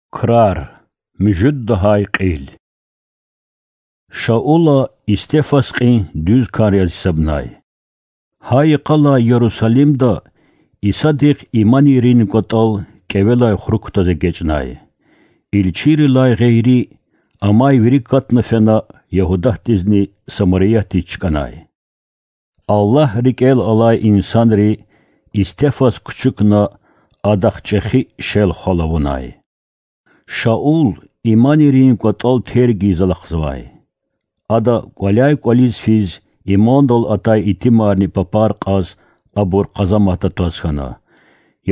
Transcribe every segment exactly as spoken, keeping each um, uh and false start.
Крар. Муьжуьд лагьай кьил. Шаула истефас кьин дуьз кар яз гьисабнай. Гьа йикъалай Ярусалимда Исадихъ иманийрин кӀватӀал кӀевелай хурук кутаз эгечӀнай. Илчийрилай гъейри, амай вири катна фена Ягьудатдизни Самариятдиз чкӀанай. Аллагь рикӀел алай инсанри истефас кучукна адахъ чӀехи шел-хвал авунай. Шаул иманийрин кӀватӀал терг ийиз алахъзавай. Ада кӀваляй-кӀвализ физ, имандал атай итимарни папар кьаз, абур къазаматда тваз хьана.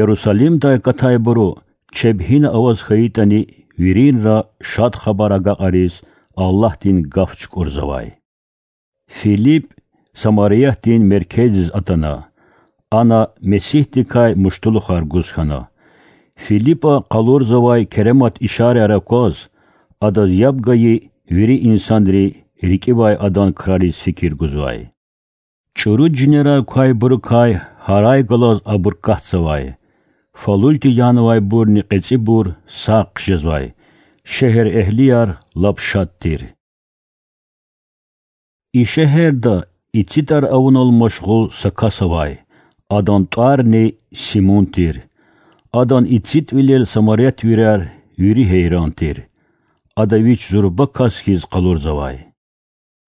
Ярусалимдай акатайбуру, чеб гьина аваз хьайитӀани, виринра Шад Хабар агакьариз Аллагьдин гаф чукӀурзавай. Филип Самариятдин меркездиз атана. Ана Месигьдикай муштулухар гуз хьана. Филипа къалурзавай керемат ишараяр акваз, адаз яб гайи вири инсанри рикӀивай адан крариз фикир гузвай. ЧӀуру жинерар квайбурукай гьарай галаз абур катзавай. Фалулди янавайбурни кьецӀибур сагъ хъжезвай. Шегьерэгьлияр лап шад тир. И шегьерда ицитӀар авунал машгъул са кас авай, адан тӀварни Симун тир. Адан ицитӀвилел самарятвияр вири гьейран тир. Ада вич зурба кас хьиз къалурзавай.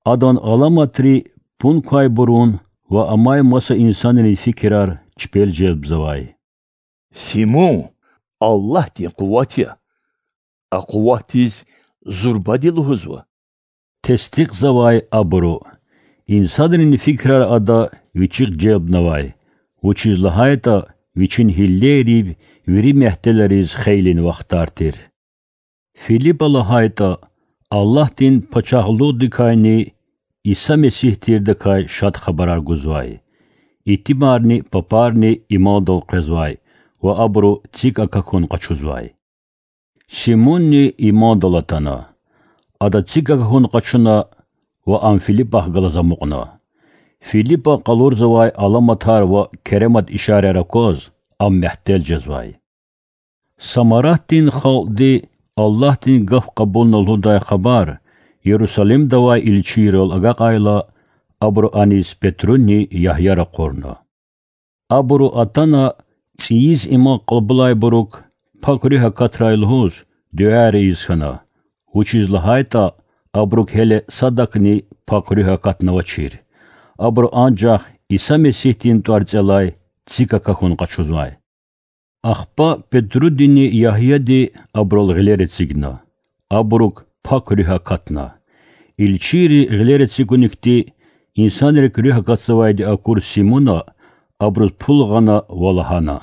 Адан аламатри пун квайбурун ва амай маса инсанрин фикирар чпел желбзавай. Симун Аллагьдин къуват я. А къуватдиз зурбади лугьузва,— тестикьзавай абуру. Инсанрин фикирар ада вичихъ желбнавай, вучиз лагьайтӀа вичин гьиллейрив вири мягьтелариз хейлин вахтар тир. Филипа лагьайтӀа, Аллагьдин Пачагьлугъдикайни Иса Месигь тирдакай Шад Хабарар гузвай. Итимарни папарни имандал къвезвай ва абуру цик акахьун къачузвай. Симунни имандал атана. Ада цик акахьун къачуна ва ам Филипахъ галаз амукьна. Филипа къалурзавай аламатар ва керемат ишараяр акваз, ам мягьтел жезвай. Самаратдин халкьди Аллагьдин гаф кьабулна лугьудай хабар Ярусалимда авай илчийрал агакьайла, абуру аниз Петруни Ягья ракъурна. Абуру атана цӀийиз иман кьабулайбурук Пак Руьгь акатрай лугьуз дуьаяр ийиз хьана, вучиз лагьайтӀа абурук гьеле садакни Пак Руьгь акатнавачир. Абуру анжах Иса Месигьдин тӀварцӀелай цик акахьун къачузвай. Ахпа Петрудини Ягьяди абурал гъилер эцигна. Абурук Пак Руьгь акатна. Илчийри гъилер эцигуникди инсанрик руьгь акатзавайди акур Симуна абуруз пул гъана ва лагьана: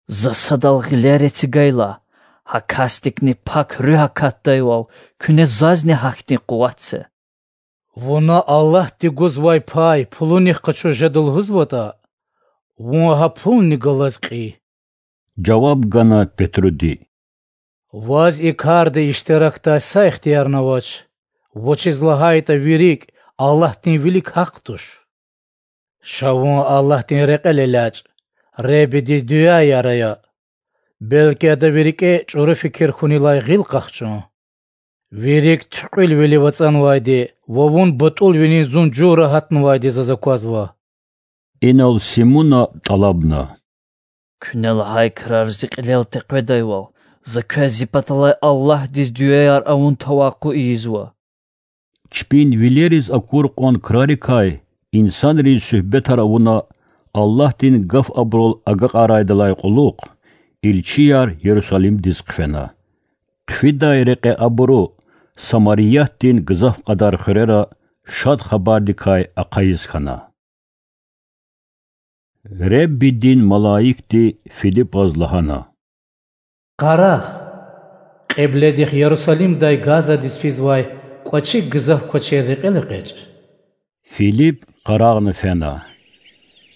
За садал гъилер эцигайла, гьа касдикни Пак Руьгь акатдайвал, куьне зазни гьахьтин къуват це. Вуна Аллагьди гузвай пай пулунихъ къачуз жеда лугьузватӀа, вун гьа пулни галаз кьий,— жаваб гана Петруди. Ваз и карда иштиракдай са ихтиярни авач, вучиз лагьайтӀа ви рикӀ Аллагьдин вилик гьахъ туш. Ша вун Аллагьдин рекьел элячӀ, Худадиз дуьаяр ая, белки Ада ви рикӀе чӀуру фикир хьунилай гъил къахчун. Ви рикӀ туькьуьлвилив ацӀанвайди ва вун батӀулвилин зун жув рагьатнавайди заз аквазва. Инал Симуна тӀалабна: Куьне лагьай крар зи кьилел текъведайвал, за квез зи паталай Аллагьдиз дуьаяр авун тавакъу ийизва. Чпин вилериз акур кьван крарикай инсанриз суьгьбетар авуна, Аллагьдин гаф абурал агакьарайдалай кьулухъ, илчияр Ярусалимдиз хъфена. Хъфидай рекье абуру Самариятдин гзаф кьадар хуьрера Шад Хабардикай ахъайиз хьана. Худадин малаикди Филипаз лагьана: Къарагъ, кьибледихъ Ярусалимдай Газадиз физвай кӀвачи гзаф квачер рекьел экъечӀ. Филип къарагъна фена.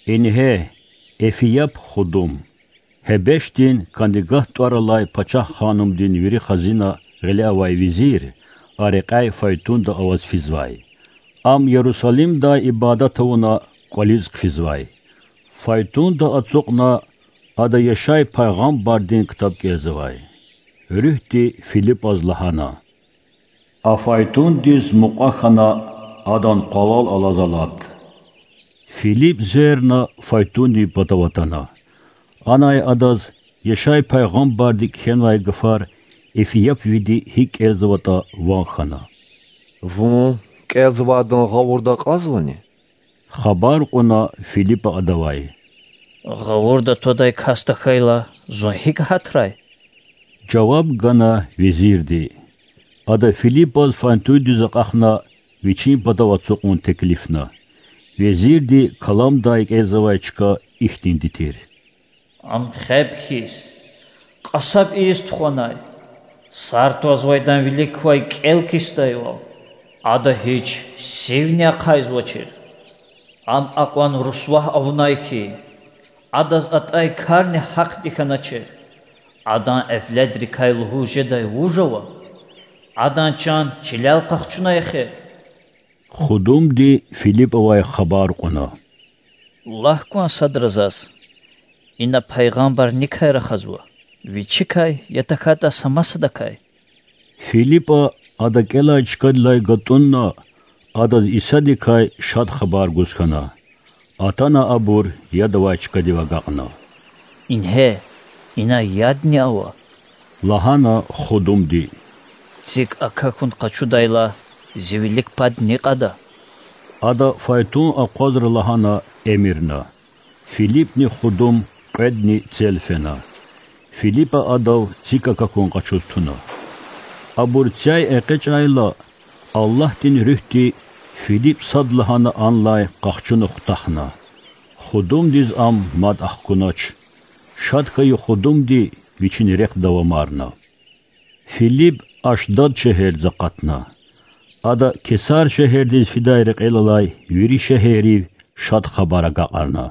Ингье, Эфияп худум, Гьебешдин Кандигат тӀвар алай пачагь ханумдин вири хазина гъиле авай везир, а рекьяй файтунда аваз физвай. Ам Ярусалимдай ибадат авуна кӀвализ хъфизвай. Файтунда ацукьна, ада Яшай пайгъамбардин ктаб кӀелзавай. Руьгьди Филипаз лагьана: А файтундиз мукьва хьана, адан къвалал алаз алад. Филип зверна, файтундин патав атана. Анай адаз Яшай пайгъамбарди кхьенвай гафар эфиопвиди гьикӀ кӀелзаватӀа ван хьана. Вун кӀелзавайдан гъавурда акьазвани? Хабар кьуна Филипа адавай. Гъавурда твадай кас тахьайла, зун гьикӀ гьатрай? Жаваб гана везирди. Ада Филипаз файтундиз акьахна, вичин патав ацукьун теклифна. Везирди каламдай кӀелзавай чка ихьтинди тир: Ам хеб хьиз, кьасаб ийиз тухванай, сар твазвайдан вилик квай кӀел кисдайвал, ада гьич сивни ахъайзавачир. Ам акьван русвагь авунай хьи, адаз атӀай карни гьахъди хьаначир. Адан эвледрикай лугьуз жедай вуж ава? Адан чан чилел къахчунай эхир. Худумди Филипавай хабар кьуна: Лагь кван садра заз: ина пайгъамбаррикай рахазва, вичикай, я тахьайтӀа са масадакай? Филипа ада кӀелай чкадилай гатӀунна, адаз Исадикай Шад Хабар гуз хьана. Атана абур яд авай чкадив агакьна. Ингье, ина ядни ава,– лагьана худумди,– цик акахьун къачудайла, зи вилик пад ни кьада. Ада файтун акъвазра лагьана эмирна. Филипни худум кьведни цел фена. Филипа адав цик акахьун къачуз туна. Абур цяй экъечӀайла, Аллагьдин Руьгьди Филип садлагьана анлай къахчуна хутахна. Худумдиз ам мад ахкунач. Шад хьайи худумди вичин рехъ давамарна. Филип Ашдад шегьердиз акъатна. Ада Кесар шегьердиз фидай рекьел алай вири шегьеррив Шад Хабар агакьарна.